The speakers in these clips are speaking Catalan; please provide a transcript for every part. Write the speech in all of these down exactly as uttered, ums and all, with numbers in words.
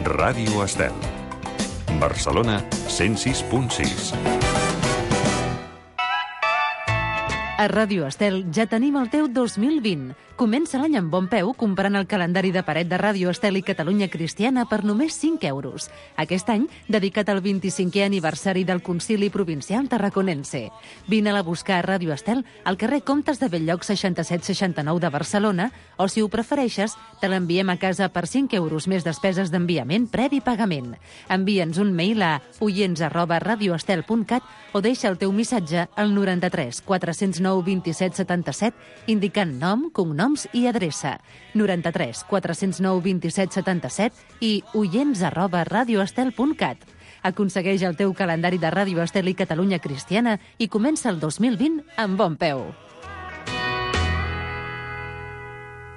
Ràdio Estel. Barcelona, cent sis punt sis. A Ràdio Estel ja tenim el teu dos mil vint. Comença l'any amb bon peu comprant el calendari de paret de Ràdio Estel i Catalunya Cristiana per només cinc euros. Aquest any, dedicat al vint-i-cinquè aniversari del Concili Provincial Tarraconense. Vine-la a buscar a Ràdio Estel al carrer Comtes de Bell-lloc seixanta-set seixanta-nou de Barcelona o, si ho prefereixes, te l'enviem a casa per cinc euros més despeses d'enviament previ pagament. Envia'ns un mail a oients arroba radioestel punt cat o deixa el teu missatge al noranta-tres quatre-cents nou vint-i-set setanta-set indicant nom, cognoms i adreça. noranta-tres quatre-cents nou vint-i-set setanta-set i oients arroba radioestel punt cat. Aconsegueix el teu calendari de Ràdio Estel i Catalunya Cristiana i comença el dos mil vint amb bon peu.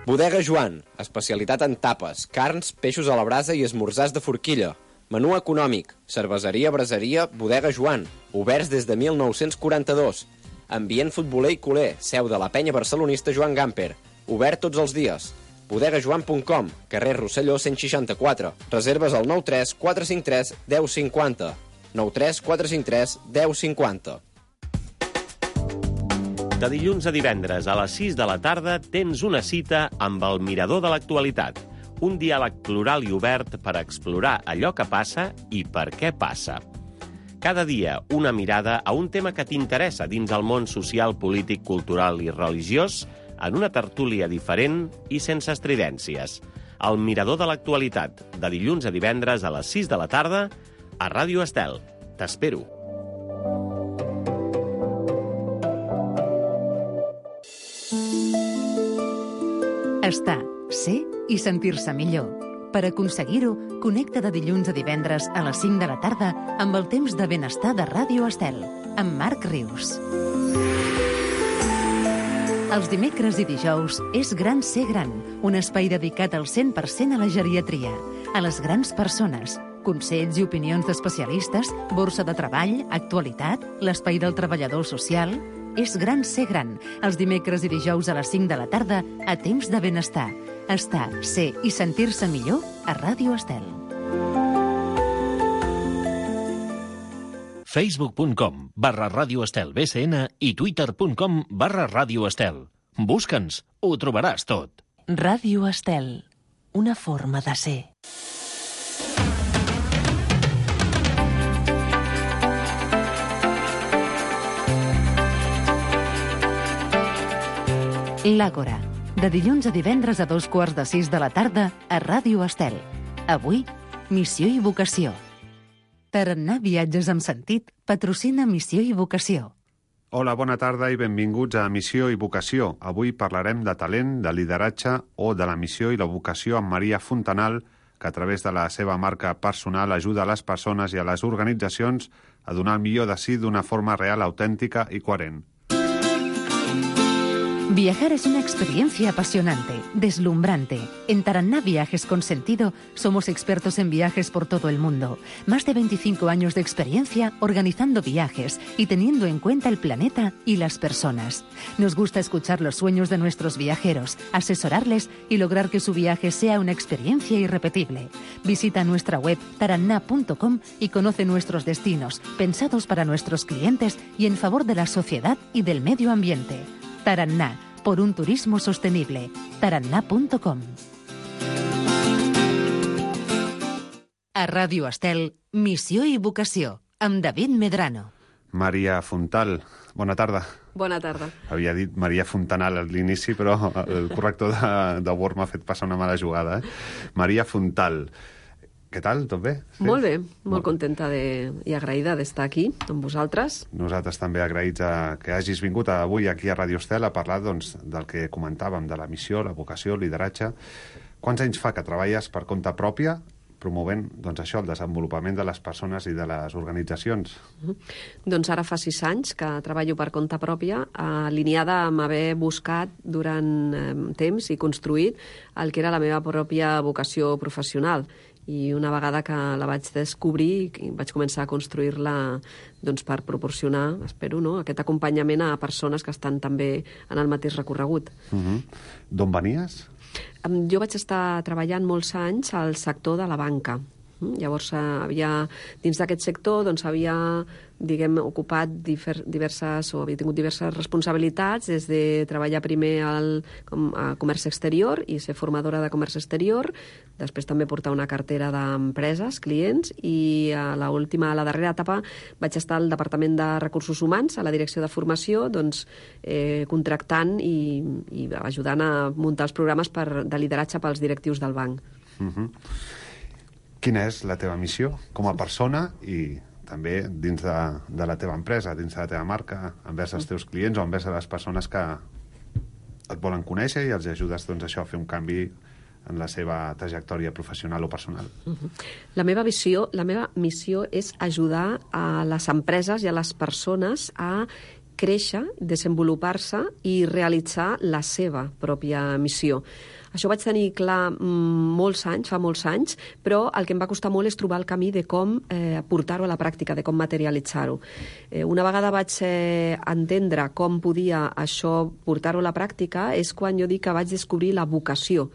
Bodega Joan, especialitat en tapes, carns, peixos a la brasa i esmorzars de forquilla. Menú econòmic, cerveseria, braseria, Bodega Joan, oberts des de mil nou-cents quaranta-dos. Ambient futboler i culer, seu de la penya barcelonista Joan Gamper. Obert tots els dies. bodega joan punt com, carrer Rosselló cent seixanta-quatre. Reserves al nou tres quatre cinc tres deu cinquanta. nou tres quatre cinc tres deu cinquanta. De dilluns a divendres a les sis de la tarda tens una cita amb el Mirador de l'Actualitat. Un diàleg plural i obert per explorar allò que passa i per què passa. Cada dia una mirada a un tema que t'interessa dins el món social, polític, cultural i religiós en una tertúlia diferent i sense estridències. El Mirador de l'Actualitat, de dilluns a divendres a les sis de la tarda a Ràdio Estel. T'espero. Estar, ser i sentir-se millor. Per aconseguir-ho, connecta de dilluns a divendres a les cinc de la tarda amb el temps de benestar de Ràdio Estel, amb Marc Rius. Els dimecres i dijous és Gran Ser Gran, un espai dedicat al cent per cent a la geriatria, a les grans persones, consells i opinions d'especialistes, borsa de treball, actualitat, l'espai del treballador social. És Gran Ser Gran, els dimecres i dijous a les cinc de la tarda a temps de benestar. Estar, ser i sentir-se millor a Ràdio Estel. facebook punt com barra Ràdio Estel B C N i twitter punt com barra Ràdio Estel. Busca'ns, ho trobaràs tot. Ràdio Estel, una forma de ser. L'Àgora, de dilluns a divendres a dos quarts de sis de la tarda a Ràdio Estel. Avui, missió i vocació. Tarannà Viatges amb Sentit patrocina Missió i Vocació. Hola, bona tarda i benvinguts a Missió i Vocació. Avui parlarem de talent, de lideratge o de la missió i la vocació amb Maria Fontanal, que a través de la seva marca personal ajuda a les persones i a les organitzacions a donar el millor de si d'una forma real, autèntica i coherent. Viajar es una experiencia apasionante, deslumbrante. En Taranná Viajes con Sentido somos expertos en viajes por todo el mundo. Más de veinticinco años de experiencia organizando viajes y teniendo en cuenta el planeta y las personas. Nos gusta escuchar los sueños de nuestros viajeros, asesorarles y lograr que su viaje sea una experiencia irrepetible. Visita nuestra web taranná punto com y conoce nuestros destinos, pensados para nuestros clientes y en favor de la sociedad y del medio ambiente. Taranná, por un turismo sostenible. taranná punto com. A Ràdio Estel, Missió i Vocació, amb David Medrano. Maria Fontal, bona tarda. Bona tarda. Havia dit Maria Fontanal a l'inici, però el corrector de, de Word m'ha fet passar una mala jugada. Eh? Maria Fontal. Què tal? Tot bé? Sí? Molt bé, molt, molt contenta de, i agraïda d'estar aquí amb vosaltres. Nosaltres també agraïts a que hagis vingut avui aquí a Ràdio Estel a parlar doncs, del que comentàvem, de la missió, la vocació, el lideratge. Quants anys fa que treballes per compte pròpia promovent doncs, això, el desenvolupament de les persones i de les organitzacions? Uh-huh. Doncs ara fa sis anys que treballo per compte pròpia, alineada amb haver buscat durant eh, temps i construït el que era la meva pròpia vocació professional. I una vegada que la vaig descobrir i vaig començar a construir-la doncs, per proporcionar, espero, no? aquest acompanyament a persones que estan també en el mateix recorregut. Uh-huh. D'on venies? Jo vaig estar treballant molts anys al sector de la banca. Llavors, havia, dins d'aquest sector, doncs, havia diguem, ocupat diverses, o havia tingut diverses responsabilitats, des de treballar primer al com, a comerç exterior i ser formadora de comerç exterior, després també portar una cartera d'empreses, clients, i a l'última, a la darrera etapa, vaig estar al Departament de Recursos Humans, a la direcció de formació, doncs, eh, contractant i, i ajudant a muntar els programes per, de lideratge pels directius del banc. Uh-huh. Quina és la teva missió com a persona i també dins de, de la teva empresa, dins de la teva marca, envers els teus clients o envers les persones que et volen conèixer i els ajudes doncs, això, a fer un canvi en la seva trajectòria professional o personal? Uh-huh. La meva visió, la meva missió és ajudar a les empreses i a les persones a créixer, desenvolupar-se i realitzar la seva pròpia missió. Això ho vaig tenir clar molts anys, fa molts anys, però el que em va costar molt és trobar el camí de com eh, portar-ho a la pràctica, de com materialitzar-ho. Eh, una vegada vaig eh, entendre com podia això portar-ho a la pràctica és quan jo dic que vaig descobrir la vocació.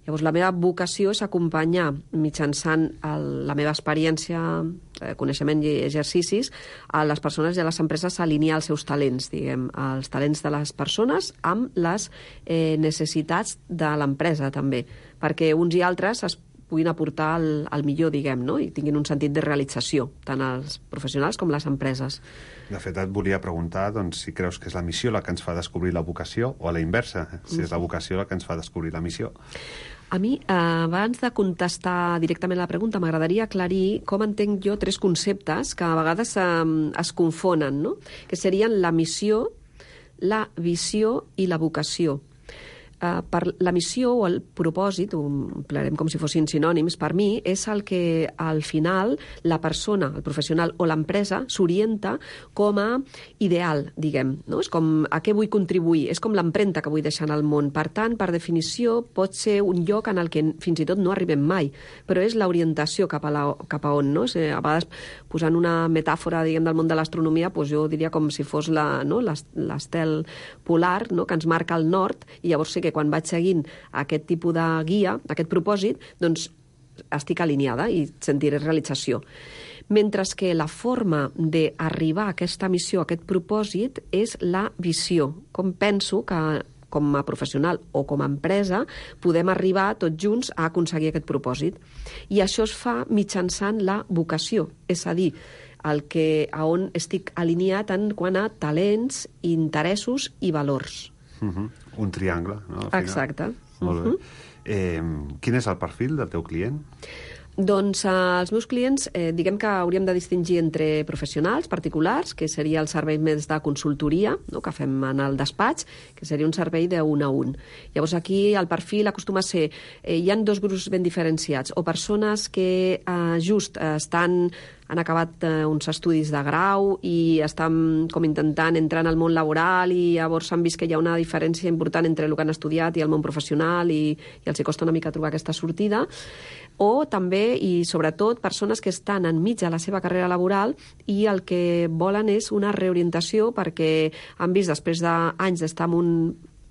Llavors, la meva vocació és acompanyar, mitjançant el, la meva experiència, eh, coneixement i exercicis, a les persones i a les empreses a alinear els seus talents, diguem, els talents de les persones amb les eh, necessitats de l'empresa, també, perquè uns i altres es puguin aportar el, el millor, diguem, no? I tinguin un sentit de realització, tant els professionals com les empreses. De fet, et volia preguntar doncs, si creus que és la missió la que ens fa descobrir la vocació o a la inversa, si és la vocació la que ens fa descobrir la missió. A mi, eh, abans de contestar directament a la pregunta, m'agradaria aclarir com entenc jo tres conceptes que a vegades eh, es confonen, no? Que serien la missió, la visió i la vocació. Uh, per la missió o el propòsit, ho emplearem com si fossin sinònims, per mi és el que al final la persona, el professional o l'empresa s'orienta com a ideal, diguem, no? És com a què vull contribuir, és com l'empremta que vull deixar en el món. Per tant, per definició, pot ser un lloc en el que fins i tot no arribem mai, però és l'orientació cap a, la, cap a on, no? És, a vegades, posant una metàfora, diguem, del món de l'astronomia, doncs jo diria com si fos la, no? l'estel polar, no? Que ens marca el nord, i llavors sí que quan vaig seguint aquest tipus de guia, aquest propòsit, doncs estic alineada i sentiré realització. Mentre que la forma d'arribar a aquesta missió, a aquest propòsit, és la visió. Com penso que com a professional o com a empresa podem arribar tots junts a aconseguir aquest propòsit. I això es fa mitjançant la vocació, és a dir, el que, a on estic alineat en quant a talents, interessos i valors. Uh-huh. Un triangle, no? Exacte. Molt bé. Eh, quin és el perfil del teu client? Doncs eh, els meus clients, eh, diguem que hauríem de distingir entre professionals particulars, que seria el servei més de consultoria, no?, que fem en el despatx, que seria un servei de un a un. Llavors aquí el perfil acostuma a ser, eh, hi ha dos grups ben diferenciats, o persones que eh, just eh, estan han acabat eh, uns estudis de grau i estan com intentant entrar en el món laboral i llavors han vist que hi ha una diferència important entre el que han estudiat i el món professional i, i els hi costa una mica trobar aquesta sortida. O també, i sobretot, persones que estan enmig de la seva carrera laboral i el que volen és una reorientació perquè han vist, després d'anys d'estar en un,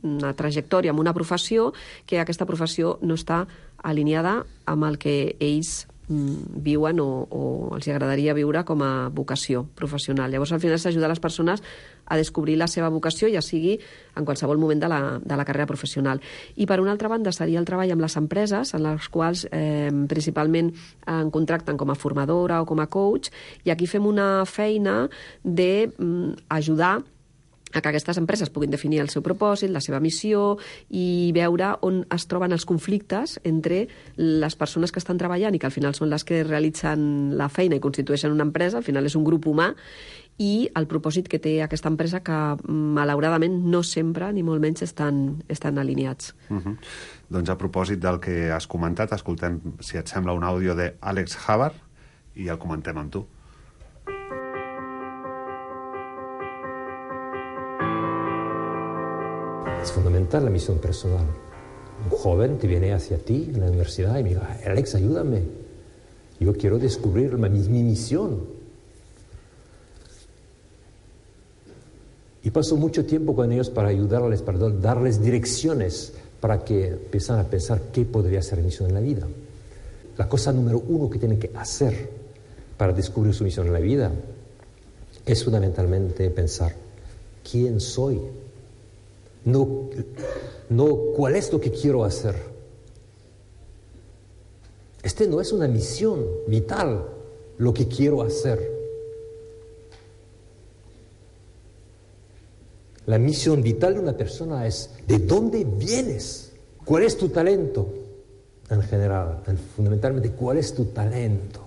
una trajectòria, en una professió, que aquesta professió no està alineada amb el que ells viuen o, o els agradaria viure com a vocació professional. Llavors, al final, s'ajuda a les persones a descobrir la seva vocació, ja sigui en qualsevol moment de la, de la carrera professional. I, per una altra banda, seria el treball amb les empreses, en les quals eh, principalment en contracten com a formadora o com a coach, i aquí fem una feina d'ajudar a que aquestes empreses puguin definir el seu propòsit, la seva missió i veure on es troben els conflictes entre les persones que estan treballant i que al final són les que realitzen la feina i constitueixen una empresa, al final és un grup humà, i el propòsit que té aquesta empresa que, malauradament, no sempre, ni molt menys, estan, estan alineats. Uh-huh. Doncs a propòsit del que has comentat, escoltem, si et sembla, un àudio d'Àlex Havard i el comentem amb tu. Es fundamental la misión personal. Un joven te viene hacia ti en la universidad y me dice, Alex, ayúdame. Yo quiero descubrir mi, mi misión. Y paso mucho tiempo con ellos para ayudarles, para darles direcciones para que empiezan a pensar qué podría ser mi misión en la vida. la cosa número uno que tiene que hacer para descubrir su misión en la vida es fundamentalmente pensar quién soy, no, no cuál es lo que quiero hacer. Este no es una misión vital, lo que quiero hacer. La misión vital de una persona es ¿de dónde vienes? ¿Cuál es tu talento? En general, fundamentalmente, ¿cuál es tu talento?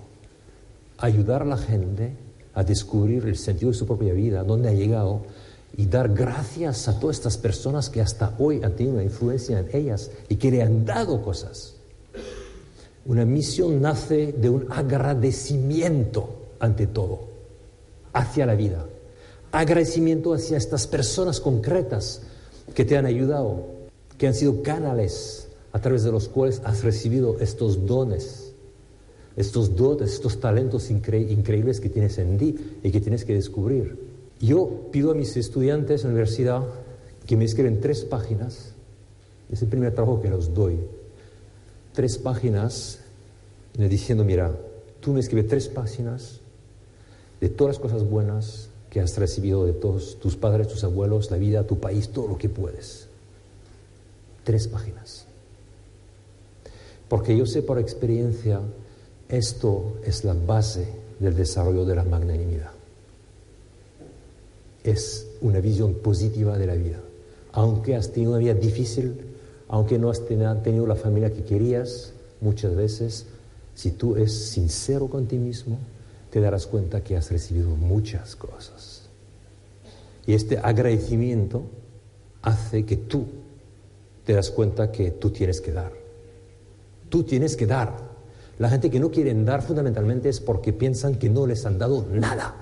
Ayudar a la gente a descubrir el sentido de su propia vida, dónde ha llegado, y dar gracias a todas estas personas que hasta hoy han tenido una influencia en ellas y que le han dado cosas. Una misión nace de un agradecimiento, ante todo, hacia la vida. Agradecimiento hacia estas personas concretas que te han ayudado, que han sido canales a través de los cuales has recibido estos dones, estos dotes, estos talentos incre- increíbles que tienes en ti y que tienes que descubrir. Yo pido a mis estudiantes en la universidad que me escriben tres páginas, es el primer trabajo que los doy, tres páginas diciendo, mira, tú me escribes tres páginas de todas las cosas buenas que has recibido de todos tus padres, tus abuelos, la vida, tu país, todo lo que puedes. Tres páginas. Porque yo sé por experiencia, esto es la base del desarrollo de la magnanimidad. Es una visión positiva de la vida. Aunque has tenido una vida difícil, aunque no has tenido la familia que querías, muchas veces, si tú eres sincero con ti mismo, te darás cuenta que has recibido muchas cosas. Y este agradecimiento hace que tú te das cuenta que tú tienes que dar. Tú tienes que dar. La gente que no quiere dar fundamentalmente es porque piensan que no les han dado nada.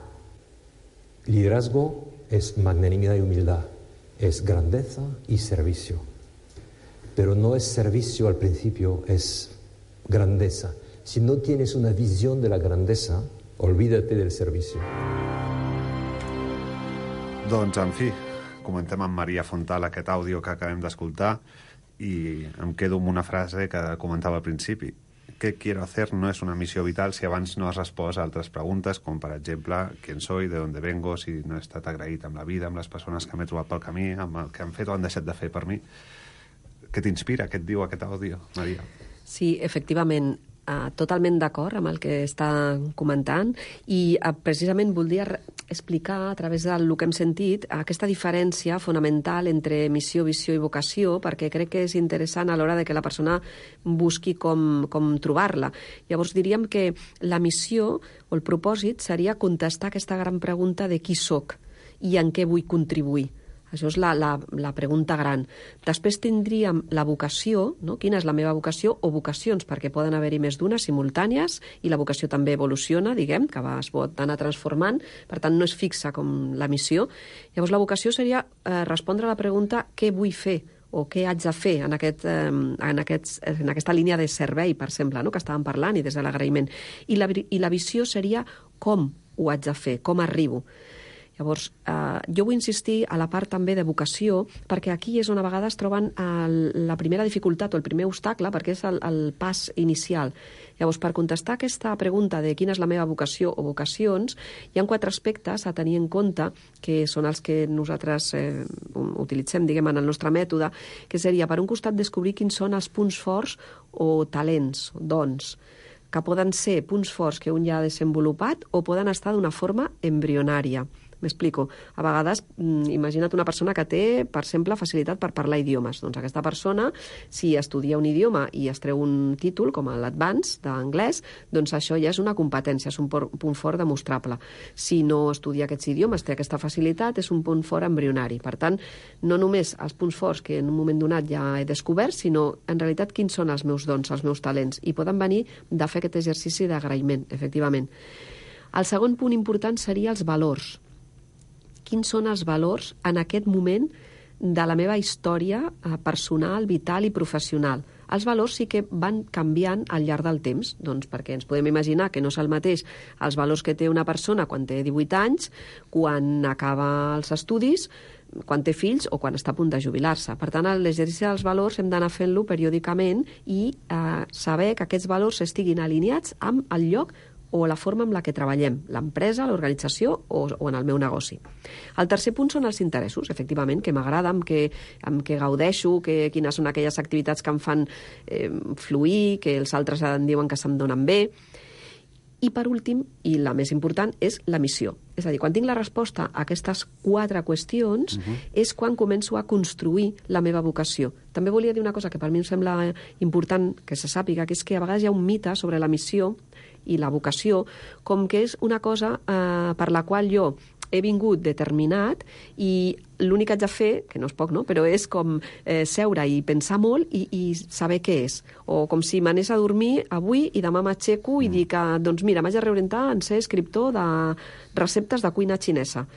Liderazgo es magnanimidad y humildad, es grandeza y servicio. Pero no es servicio al principio, es grandeza. Si no tienes una visión de la grandeza, olvídate del servicio. Doncs, en fi, comentem amb Maria Fontal aquest àudio que acabem d'escoltar i em quedo amb una frase que comentava al principi. ¿Qué quiero hacer? No es una missió vital si abans no has respost a altres preguntes, com per exemple, ¿quién soy? ¿De dónde vengo? Si no he estat agraït amb la vida, amb les persones que m'he trobat pel camí, amb el que han fet o han deixat de fer per mi. Què t'inspira? Què et diu aquest àudio, Maria? Sí, efectivament, uh, totalment d'acord amb el que està comentant i uh, precisament voldria explicar a través del que hem sentit aquesta diferència fonamental entre missió, visió i vocació, perquè crec que és interessant a l'hora de que la persona busqui com, com trobar-la. Llavors diríem que la missió o el propòsit seria contestar aquesta gran pregunta de qui soc i en què vull contribuir. Això és la, la, la pregunta gran. Després tindríem la vocació, no? Quina és la meva vocació o vocacions, perquè poden haver-hi més d'una simultànies i la vocació també evoluciona, diguem, que va, es pot anar transformant, per tant no és fixa com la missió. Llavors la vocació seria eh, respondre a la pregunta què vull fer o què haig de fer en, aquest, eh, en, aquests, en aquesta línia de servei, per exemple, no? Que estàvem parlant i des de l'agraïment. I la, I la visió seria com ho haig de fer, com arribo. Llavors, eh, jo vull insistir a la part també de vocació, perquè aquí és on a vegades troben el, la primera dificultat o el primer obstacle, perquè és el, el pas inicial. Llavors, per contestar aquesta pregunta de quina és la meva vocació o vocacions, hi ha quatre aspectes a tenir en compte, que són els que nosaltres eh, utilitzem, diguem, en el nostre mètode, que seria, per un costat, descobrir quins són els punts forts o talents, dons, que poden ser punts forts que un ja ha desenvolupat o poden estar d'una forma embrionària. M'explico. A vegades, imagina't una persona que té, per exemple, facilitat per parlar idiomes. Doncs aquesta persona, si estudia un idioma i es treu un títol, com l'Advance d'anglès, doncs això ja és una competència, és un punt fort demostrable. Si no estudia aquests idiomes, té aquesta facilitat, és un punt fort embrionari. Per tant, no només els punts forts que en un moment donat ja he descobert, sinó, en realitat, quins són els meus dons, els meus talents. I poden venir de fer aquest exercici d'agraïment, efectivament. El segon punt important seria els valors. Quins són els valors en aquest moment de la meva història personal, vital i professional. Els valors sí que van canviant al llarg del temps, doncs perquè ens podem imaginar que no és el mateix els valors que té una persona quan té divuit anys, quan acaba els estudis, quan té fills o quan està a punt de jubilar-se. Per tant, l'exercici dels valors hem d'anar fent-lo periòdicament i eh, saber que aquests valors estiguin alineats amb el lloc o la forma amb la que treballem, l'empresa, l'organització o, o en el meu negoci. El tercer punt són els interessos, efectivament, que m'agrada, amb què, amb què gaudeixo, que, quines són aquelles activitats que em fan eh, fluir, que els altres em diuen que se'm donen bé. I, per últim, i la més important, és la missió. És a dir, quan tinc la resposta a aquestes quatre qüestions, uh-huh. és quan començo a construir la meva vocació. També volia dir una cosa que per mi em sembla important que se sàpiga, que és que a vegades hi ha un mite sobre la missió i la vocació, com que és una cosa eh, per la qual jo he vingut determinat i l'únic que haig de fer, que no és poc, no? Però és com eh, seure i pensar molt i, i saber què és. O com si m'anés a dormir avui i demà m'aixeco i mm. dic que, doncs mira, m'haig de reorientar en ser escriptor de receptes de cuina xinesa.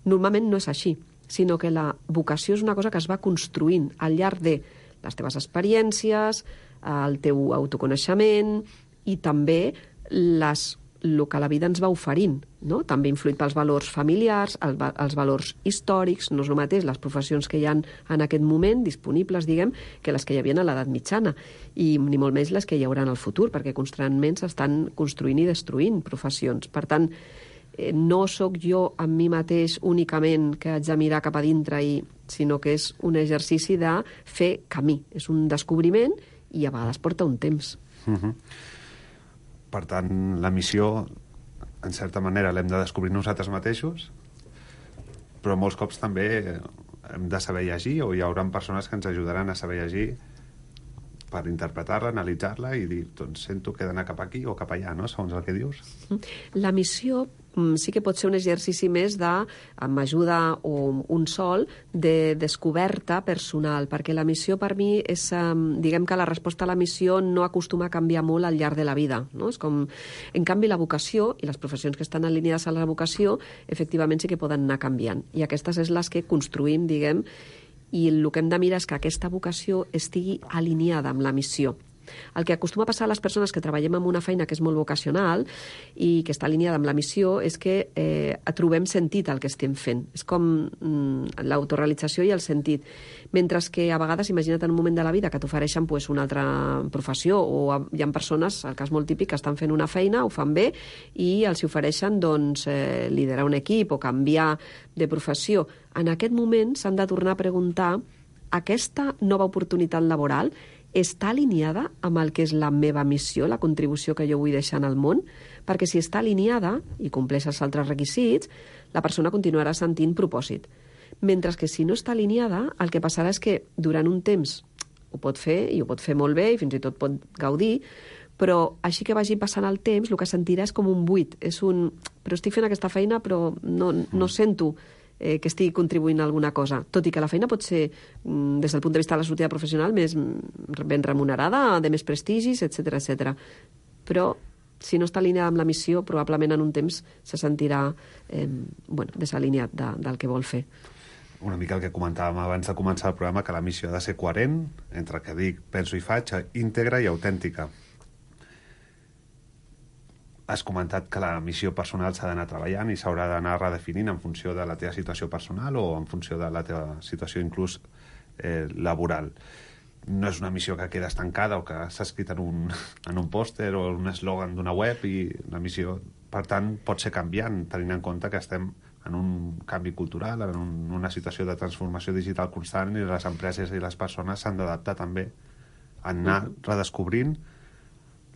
Normalment no és així, sinó que la vocació és una cosa que es va construint al llarg de les teves experiències, el teu autoconeixement i també les el que la vida ens va oferint, no? També influït pels valors familiars, el, els valors històrics, no és el mateix les professions que hi ha en aquest moment disponibles, diguem, que les que hi havia a l'edat mitjana, i ni molt més les que hi haurà en el futur, perquè constantment s'estan construint i destruint professions. Per tant, eh, no sóc jo amb mi mateix únicament que haig de mirar cap a dintre, i, sinó que és un exercici de fer camí. És un descobriment i a vegades porta un temps. Uh-huh. Per tant, la missió, en certa manera, l'hem de descobrir nosaltres mateixos, però molts cops també hem de saber llegir, o hi haurà persones que ens ajudaran a saber llegir per interpretar-la, analitzar-la i dir, doncs sento que he d'anar cap aquí o cap allà, no?, segons el que dius. La missió sí que pot ser un exercici més de, amb ajuda o un sol, de descoberta personal, perquè la missió per mi és, diguem que la resposta a la missió no acostuma a canviar molt al llarg de la vida, no? És com, en canvi, la vocació i les professions que estan alineades a la vocació, efectivament sí que poden anar canviant, i aquestes és les que construïm, diguem, i el que hem de mirar és que aquesta vocació estigui alineada amb la missió. El que acostuma a passar a les persones que treballem en una feina que és molt vocacional i que està alineada amb la missió és que eh, trobem sentit al que estem fent. És com mm, l'autorealització i el sentit. Mentre que a vegades, imagina't en un moment de la vida que t'ofereixen pues, una altra professió, o hi ha persones, el cas molt típic, que estan fent una feina, ho fan bé, i els ofereixen doncs, eh, liderar un equip o canviar de professió. En aquest moment s'han de tornar a preguntar: aquesta nova oportunitat laboral està alineada amb el que és la meva missió, la contribució que jo vull deixar en el món? Perquè si està alineada i compleix els altres requisits, la persona continuarà sentint propòsit. Mentre que si no està alineada, el que passarà és que durant un temps ho pot fer, i ho pot fer molt bé, i fins i tot pot gaudir, però així que vagi passant el temps, el que sentirà és com un buit. És un, però estic fent aquesta feina, però no, no sento eh, que estigui contribuint a alguna cosa. Tot i que la feina pot ser, des del punt de vista de la sortida professional, més ben remunerada, de més prestigis, etcètera, etcètera. Però si no està alineada amb la missió, probablement en un temps se sentirà eh, bueno, desalineat de, del que vol fer. Una mica el que comentàvem abans de començar el programa, que la missió ha de ser coherent entre el que dic, penso i faig, íntegra i autèntica. Has comentat que la missió personal s'ha d'anar treballant i s'haurà d'anar redefinint en funció de la teva situació personal o en funció de la teva situació inclús eh, laboral. No és una missió que queda estancada o que s'ha escrit en un, en un pòster o un eslògan d'una web, i la missió, per tant, pot ser canviant, tenint en compte que estem en un canvi cultural, en un, una situació de transformació digital constant, i les empreses i les persones s'han d'adaptar també a anar redescobrint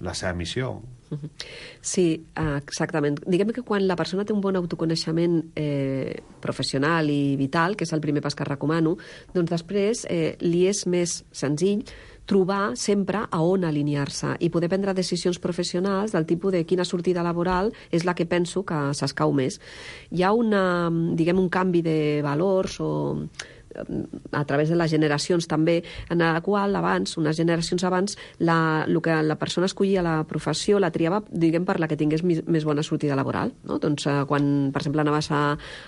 la seva missió. Sí, exactament. Diguem que quan la persona té un bon autoconeixement eh, professional i vital, que és el primer pas que recomano, doncs després eh, li és més senzill trobar sempre a on alinear-se i poder prendre decisions professionals del tipus de quina sortida laboral és la que penso que s'escau més. Hi ha una, diguem, un canvi de valors o a través de les generacions també, en la qual abans, unes generacions abans, la, el que la persona escollia la professió la triava, diguem, per la que tingués més, més bona sortida laboral, no? Doncs eh, quan, per exemple, anaves a,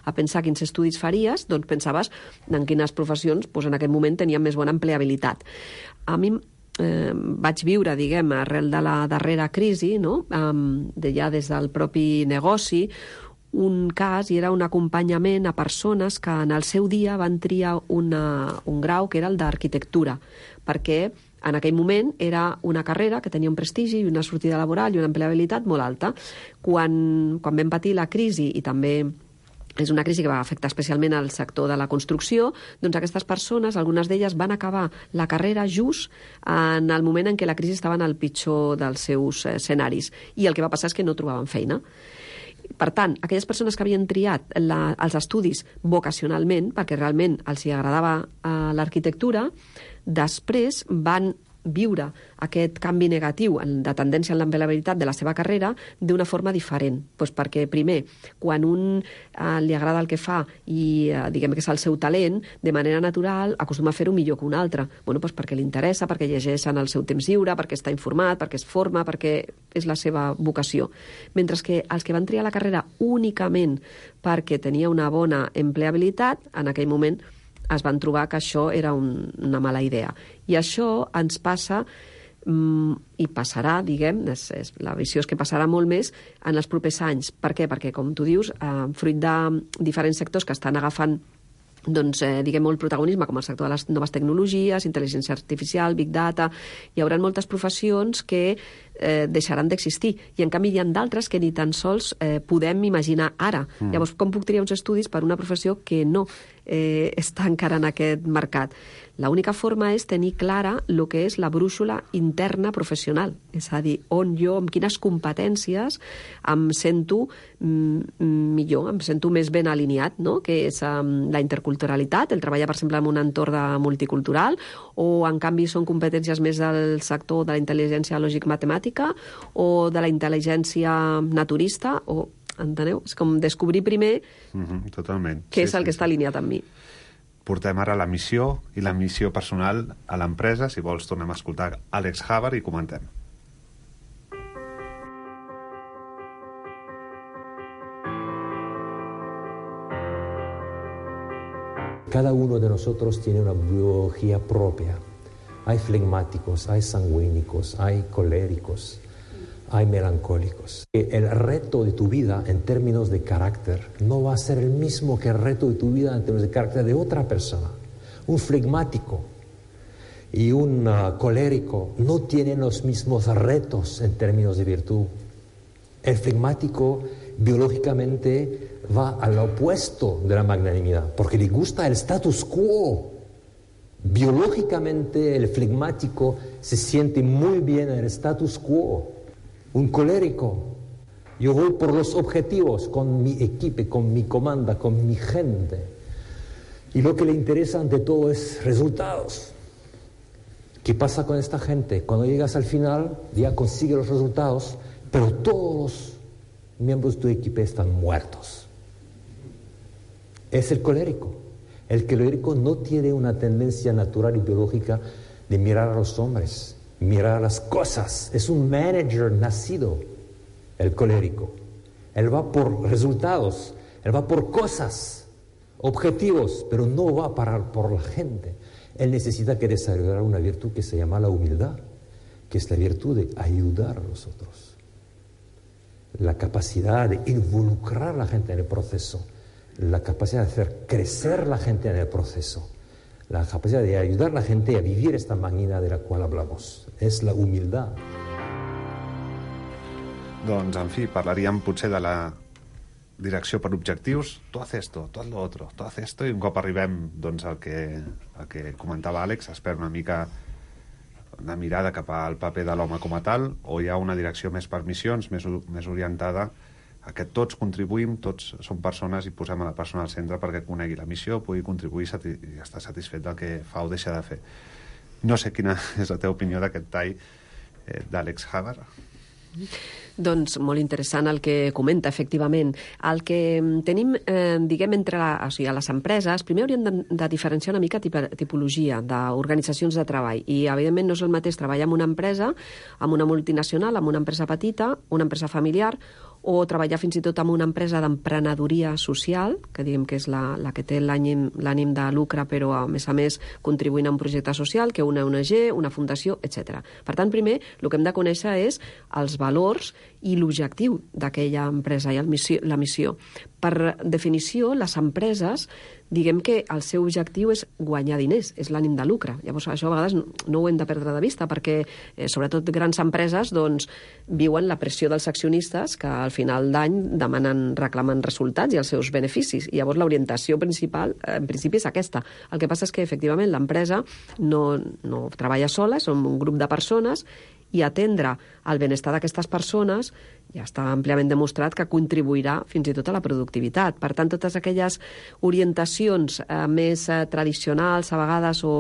a pensar quins estudis faries, doncs pensaves en quines professions doncs, en aquest moment tenien més bona empleabilitat. A mi eh, vaig viure, diguem, arrel de la darrera crisi, no? um, de ja des del propi negoci, un cas i era un acompanyament a persones que en el seu dia van triar una, un grau que era el d'arquitectura, perquè en aquell moment era una carrera que tenia un prestigi i una sortida laboral i una empleabilitat molt alta. Quan, quan vam patir la crisi, i també és una crisi que va afectar especialment al sector de la construcció, doncs aquestes persones, algunes d'elles van acabar la carrera just en el moment en què la crisi estava en el pitjor dels seus escenaris. I el que va passar és que no trobaven feina. Per tant, aquelles persones que havien triat la, els estudis vocacionalment, perquè realment els hi agradava eh, l'arquitectura, després van viure aquest canvi negatiu de tendència en l'empleabilitat de la seva carrera d'una forma diferent. Pues perquè, primer, quan un eh, li agrada el que fa i eh, diguem que és el seu talent, de manera natural acostuma a fer-ho millor que un altre. Bueno, pues perquè li interessa, perquè llegeix en el seu temps lliure, perquè està informat, perquè es forma, perquè és la seva vocació. Mentre que els que van triar la carrera únicament perquè tenia una bona empleabilitat, en aquell moment es van trobar que això era un, una mala idea. I això ens passa, mm, i passarà, diguem, és, és, la visió és que passarà molt més en els propers anys. Per què? Perquè, com tu dius, eh, fruit de diferents sectors que estan agafant doncs, eh, diguem, molt protagonisme, com el sector de les noves tecnologies, intel·ligència artificial, big data, hi haurà moltes professions que eh, deixaran d'existir. I, en canvi, hi ha d'altres que ni tan sols eh, podem imaginar ara. Mm. Llavors, com puc triar uns estudis per una professió que no eh, està encara en aquest mercat? L'única forma és tenir clara el que és la brúixola interna professional, és a dir, on jo, amb quines competències em sento mm, millor, em sento més ben alineat, no? Que és um, la interculturalitat, el treballar, per exemple, en un entorn multicultural, o, en canvi, són competències més del sector de la intel·ligència lògic-matemàtica o de la intel·ligència naturista, o, enteneu? És com descobrir primer mm-hmm, totalment. què sí, és el sí, que està alineat amb mi. Portem ara la missió i la missió personal a l'empresa. Si vols, tornem a escoltar Àlex Havard i comentem. Cada uno de nosotros tiene una biología propia. Hay flegmáticos, hay sanguínicos, hay coléricos, hay melancólicos. El reto de tu vida en términos de carácter no va a ser el mismo que el reto de tu vida en términos de carácter de otra persona. Un flegmático y un uh, colérico no tienen los mismos retos en términos de virtud. El flegmático biológicamente va al opuesto de la magnanimidad, porque le gusta el status quo. Biológicamente el flegmático se siente muy bien en el status quo. Un colérico, yo voy por los objetivos con mi equipo, con mi comanda, con mi gente. Y lo que le interesa ante todo es resultados. ¿Qué pasa con esta gente? Cuando llegas al final, ya consigue los resultados, pero todos los miembros de tu equipo están muertos. Es el colérico. El colérico no tiene una tendencia natural y biológica de mirar a los hombres, mirar las cosas. Es un manager nacido, el colérico. Él va por resultados, él va por cosas, objetivos, pero no va a parar por la gente. Él necesita que desarrollar una virtud que se llama la humildad, que es la virtud de ayudar a los otros. La capacidad de involucrar a la gente en el proceso, la capacidad de hacer crecer la gente en el proceso, la capacidad de ayudar a la gente a vivir esta magnina de la cual hablamos. És la humildad. Doncs, en fi, parlaríem potser de la direcció per objectius. Tu haz esto, tu haz lo otro, tu haz esto, i un cop arribem doncs, al, que, al que comentava Àlex, es perd una mica una mirada cap al paper de l'home com a tal, o hi ha una direcció més per missions, més, més orientada a que tots contribuïm, tots som persones i posem a la persona al centre perquè conegui la missió, pugui contribuir sati i estar satisfet del que fa o deixa de fer. No sé quina és la teva opinió d'aquest tall eh, d'Àlex Havard. Doncs molt interessant el que comenta, efectivament. El que tenim, eh, diguem, entre la, o sigui, a les empreses, primer hauríem de, de diferenciar una mica tip, tipologia d'organitzacions de treball. I, evidentment, no és el mateix treballar en una empresa, amb una multinacional, amb una empresa petita, una empresa familiar, o treballar fins i tot en una empresa d'emprenedoria social, que diguem que és la, la que té l'ànim l'ànim de lucre, però a més a més contribuint a un projecte social, que una O N G, una fundació, etcètera. Per tant, primer, el que hem de conèixer és els valors i l'objectiu d'aquella empresa i el missió, la missió. Per definició, les empreses, diguem que el seu objectiu és guanyar diners, és l'ànim de lucre. Llavors, això a vegades no, no ho hem de perdre de vista, perquè, eh, sobretot grans empreses, doncs, viuen la pressió dels accionistes que al final d'any demanen, reclamen resultats i els seus beneficis. I llavors l'orientació principal, eh, en principi, és aquesta. El que passa és que, efectivament, l'empresa no, no treballa sola, som un grup de persones, i atendre el benestar d'aquestes persones ja està àmpliament demostrat que contribuirà fins i tot a la productivitat. Per tant, totes aquelles orientacions eh, més eh, tradicionals, a vegades, o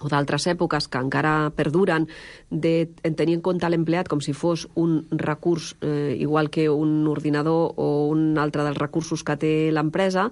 o d'altres èpoques que encara perduren, de tenir en compte l'empleat com si fos un recurs eh, igual que un ordinador o un altre dels recursos que té l'empresa,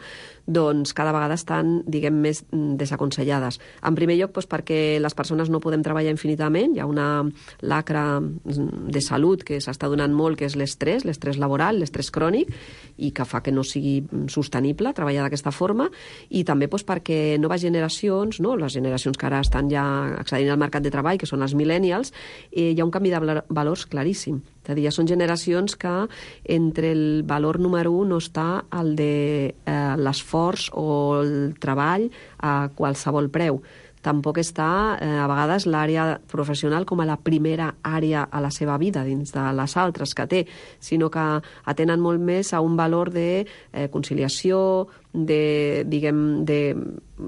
doncs cada vegada estan, diguem, més desaconsellades. En primer lloc, doncs, perquè les persones no podem treballar infinitament, hi ha una lacra de salut que s'està donant molt, que és l'estrès, l'estrès laboral, l'estrès crònic, i que fa que no sigui sostenible treballar d'aquesta forma, i també doncs, perquè noves generacions, no? Les generacions que ara estan ja accedint al mercat de treball, que són els millennials, eh, hi ha un canvi de valors claríssim. És a dir, ja són generacions que entre el valor número un no està el de eh, l'esforç o el treball a qualsevol preu. Tampoc està, eh, a vegades, l'àrea professional com a la primera àrea a la seva vida, dins de les altres que té, sinó que atenen molt més a un valor de eh, conciliació, de, diguem, de,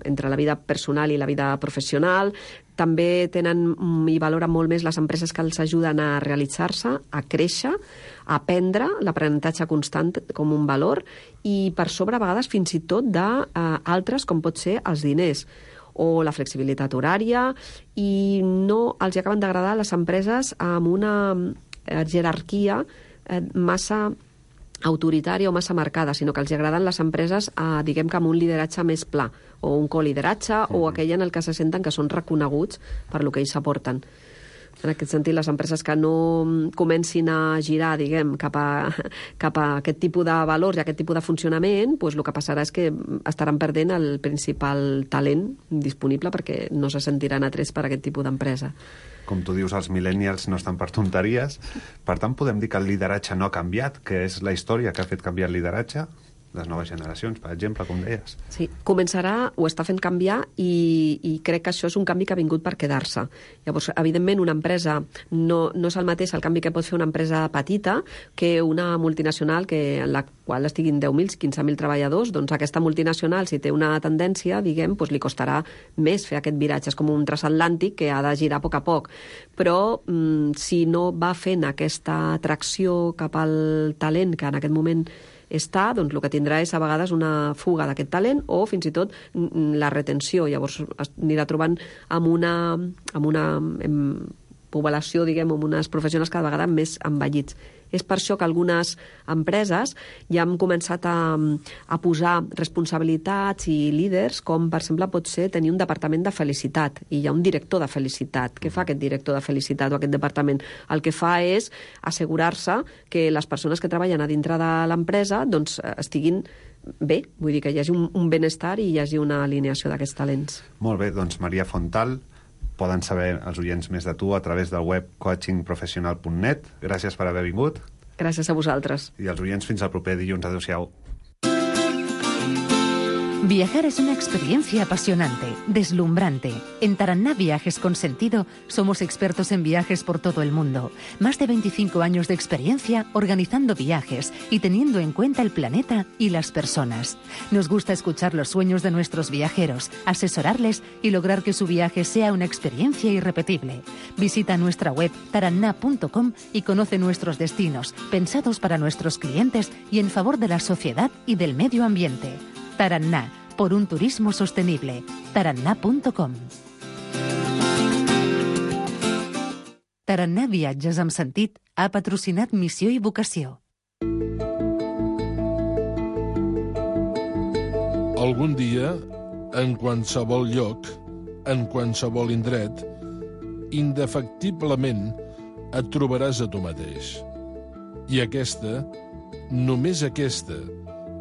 entre la vida personal i la vida professional. També tenen i valoren molt més les empreses que els ajuden a realitzar-se, a créixer, a aprendre, l'aprenentatge constant com un valor, i per sobre, a vegades, fins i tot d'altres, com pot ser els diners o la flexibilitat horària, i no els acaben d'agradar les empreses amb una jerarquia massa autoritària o massa marcada, sinó que els agraden les empreses, eh, diguem que amb un lideratge més pla, o un colideratge, mm. o aquell en el que se senten que són reconeguts per lo que ells aporten. En aquest sentit, les empreses que no comencin a girar, diguem, cap a, cap a aquest tipus de valors i aquest tipus de funcionament, doncs el que passarà és que estaran perdent el principal talent disponible perquè no se sentiran atrets per aquest tipus d'empresa. Com tu dius, els millennials no estan per tonteries. Per tant, podem dir que el lideratge no ha canviat, que és la història que ha fet canviar el lideratge? Les noves generacions, per exemple, com deies. Sí, començarà, ho està fent canviar, i, i crec que això és un canvi que ha vingut per quedar-se. Llavors, evidentment, una empresa no, no és el mateix el canvi que pot fer una empresa petita que una multinacional que, en la qual estiguin deu mil, quinze mil treballadors. Doncs aquesta multinacional, si té una tendència, diguem, doncs li costarà més fer aquest viratge. És com un transatlàntic que ha de girar a poc a poc. Però mm, si no va fent aquesta atracció cap al talent que en aquest moment està, doncs el que tindrà és a vegades una fuga d'aquest talent o fins i tot la retenció. Llavors anirà trobant amb una, amb una amb població, diguem, amb unes professionals cada vegada més envellits. És per això que algunes empreses ja han començat a, a posar responsabilitats i líders, com per exemple pot ser tenir un departament de felicitat, i hi ha un director de felicitat. Què fa aquest director de felicitat o aquest departament? El que fa és assegurar-se que les persones que treballen a dintre de l'empresa doncs, estiguin bé, vull dir que hi hagi un, un benestar i hi hagi una alineació d'aquests talents. Molt bé, doncs Maria Fontal, poden saber els oients més de tu a través del web coaching professional punt net. Gràcies per haver vingut. Gràcies a vosaltres. I els oients fins al proper dilluns. Adéu-siau. Viajar es una experiencia apasionante, deslumbrante. En Taraná Viajes con Sentido somos expertos en viajes por todo el mundo. Más de veinticinco años de experiencia organizando viajes y teniendo en cuenta el planeta y las personas. Nos gusta escuchar los sueños de nuestros viajeros, asesorarles y lograr que su viaje sea una experiencia irrepetible. Visita nuestra web taraná punto com y conoce nuestros destinos, pensados para nuestros clientes y en favor de la sociedad y del medio ambiente. Taraná, por un turismo sostenible. taraná punto com. Taraná Viatges amb Sentit ha patrocinat Missió i Vocació. Algun dia, en qualsevol lloc, en qualsevol indret, indefectiblement et trobaràs a tu mateix. I aquesta, només aquesta,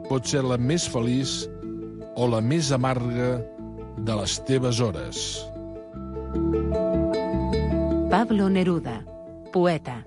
pot ser la més feliç o la més amarga de les teves hores. Pablo Neruda, poeta.